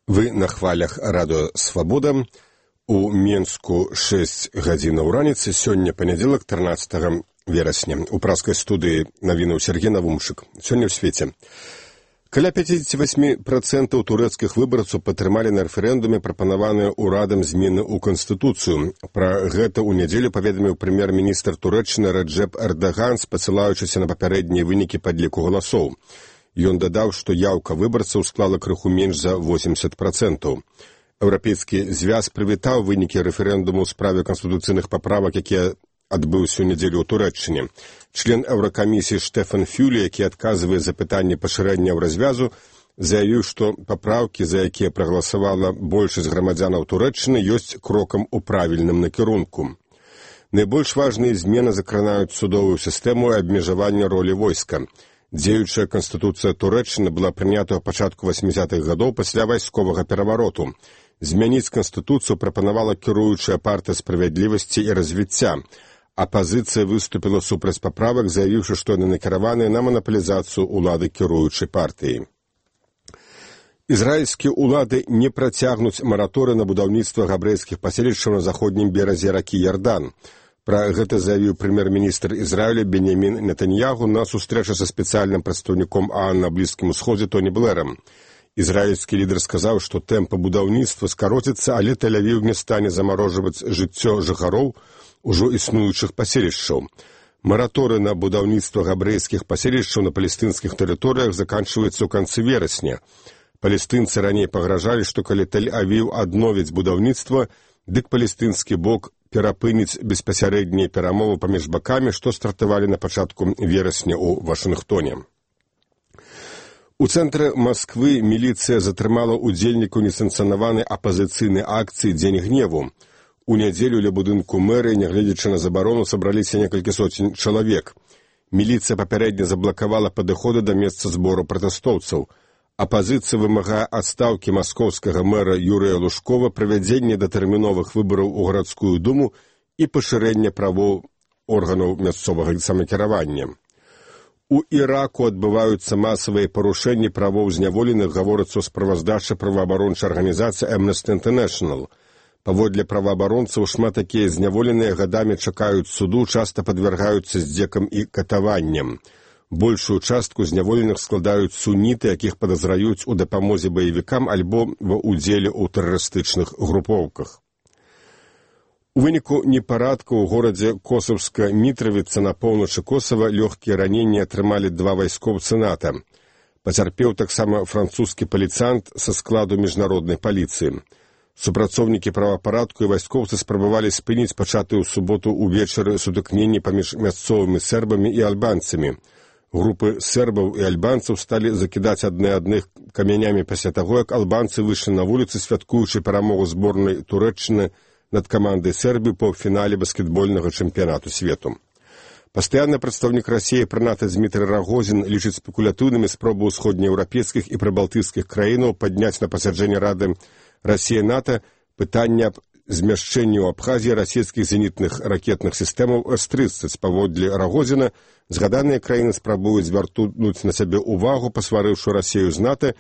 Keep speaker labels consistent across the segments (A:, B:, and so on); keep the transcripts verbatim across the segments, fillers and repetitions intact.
A: Вы на хвалях радио «Свобода». У Менску шэсць гадзінаў раніцы, сёння панядзелак, трынаццатага верасня. У праскай студыі навінаў Сергей Навумшык. Сёння ў свеце. Каля пяцьдзесят восемь процентов турэцкіх выбарцаў падтрымалі на рэферэндуме прапанаваныя ўрадам змены ў Канстытуцыю. Пра гэта ў нядзелю паведаміў прэм'ер-міністр Турэччыны Раджэп Эрдаган, спасылаючыся на папярэднія вынікі падліку галасоў. Ён дадаў, што яўка выбарцаў склала крыху менш за восемьдесят процентов. Еўрапейскі звяз прывітаў вынікі рэферэндуму ў справе канстытуцыйных паправак, якія адбыўся ў нядзелю ў Турэччыне. Член Еўракамісіі Штефан Фюле, які адказвае за пытанне пашырэння развязу, заявіў, што папраўкі, за якія прагаласавала большасць грамадзянаў Турэччыны, ёсць крокам у правільным накірунку. Найбольш важныя змены закранаюць судовую сістэму і абмежаванне ролі войска. Дзеючая канстытуцыя Турэччыны была прынята ў пачатку восьмідзесятых гадоў пасля вайсковага перавароту. Змяніць канстытуцыю прапанавала кіруючая партыя справядлівасці і развіцця. Апазіцыя выступіла супраць паправак, заявіўшы, што яны накіраваныя на манапалізацыю ўлады кіруючай партыі. Ізраільскія ўлады не працягнуць мараторый на будаўніцтва габрэйскіх паселішчаў на заходнім беразе ракі Ярдан. Пра гэта заявіў прэм'ер-міністр Ізраіля Беньямін Нетаньягу на сустрэчы са спецыяльным прадстаўніком ААН на Блізкім Усходзе Тоні Блэрам. Ізраільскі лідар сказаў, што тэмпы будаўніцтва скароцяцца, але Тель-Авіў не стане замарожваць жыццё жыхароў ужо існуючых паселішчаў. Мараторый на будаўніцтва габрэйскіх паселішчаў на палестынскіх тэрыторыях заканчваецца ў канцы верасня. Палестынцы раней пагражалі, што калі Тель-Авіў адновіць будаўніцтва, дык палестынскі бок перапыніць беспасярэднія перамовы паміж бакамі, што стартавалі на пачатку верасня ў Вашынгтоне. У цэнтры Масквы міліцыя затрымала ўдзельнікаў несанкцыянаванай апазіцыйнай акцыі «Дзень гневу». У нядзелю ля будынку мэрыі, нягледзячы на забарону, сабраліся некалькі соцень чалавек. Міліцыя папярэдне заблакавала падыходы да месца збору пратэстоўцаў. Апазіцыя вымагае адстаўкі маскоўскага мэра Юрыя Лужкова, правядзення датэрміновых выбараў у гарадскую думу і пашырэння правоў органаў мясцовага самакіравання. У Іраку адбываюцца масавыя парушэнні правоў зняволеных, гаворыцца ў справаздачы праваабарончай арганізацыі Amnesty International. Паводле праваабаронцаў, шмат такія зняволеныя гадамі чакаюць суду, часта падвяргаюцца здзекам і катаванням. Большую частку зняволеных складаюць суніты, якіх падазраюць у дапамозе баевікам альбо ва ўдзеле ў тэрарыстычных групоўках. У выніку непарадку ў горадзе Косаўска-Мітравіца на поўначы Косава лёгкія раненні атрымалі два вайскоўцы НАТО. Пацярпеў таксама французскі паліцыянт са складу міжнароднай паліцыі. Супрацоўнікі правапарадку і вайскоўцы спрабавалі спыніць пачатыя ў суботу ўвечары сутыкненні паміж мясцовымі сербамі і альбанцамі. Групы сербаў і альбанцаў сталі закідаць адны адных камянямі пасля таго, як албанцы выйшлі на вуліцы, святкуючы перамогу зборнай Турэччыны над камандай Сербіі па фінале баскетбольнага чэмпіянату свету. Пастаянны прадстаўнік Расіі пры НАТО Дмітрый Рагозін лічыць спекулятыўнымі спробы ўсходнееўрапейскіх і прыбалтыйскіх краінаў падняць на пасяджэнне Рады Расія-НАТО пытанне аб змяшчэнні ў Абхазіі расійскіх зенітных ракетных сістэмаў эс трыццаць. Паводле Рагозіна, згаданыя краіны спрабуюць звярнуць на сябе ўвагу, пасварыўшы Расію з НАТО,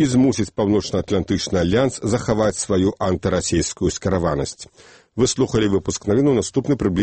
A: і змусіць Паўночна-Атлантычны альянс захаваць сваю антырасійскую скіраванасць. Вы слухалі выпуск навін, наступны прыблізна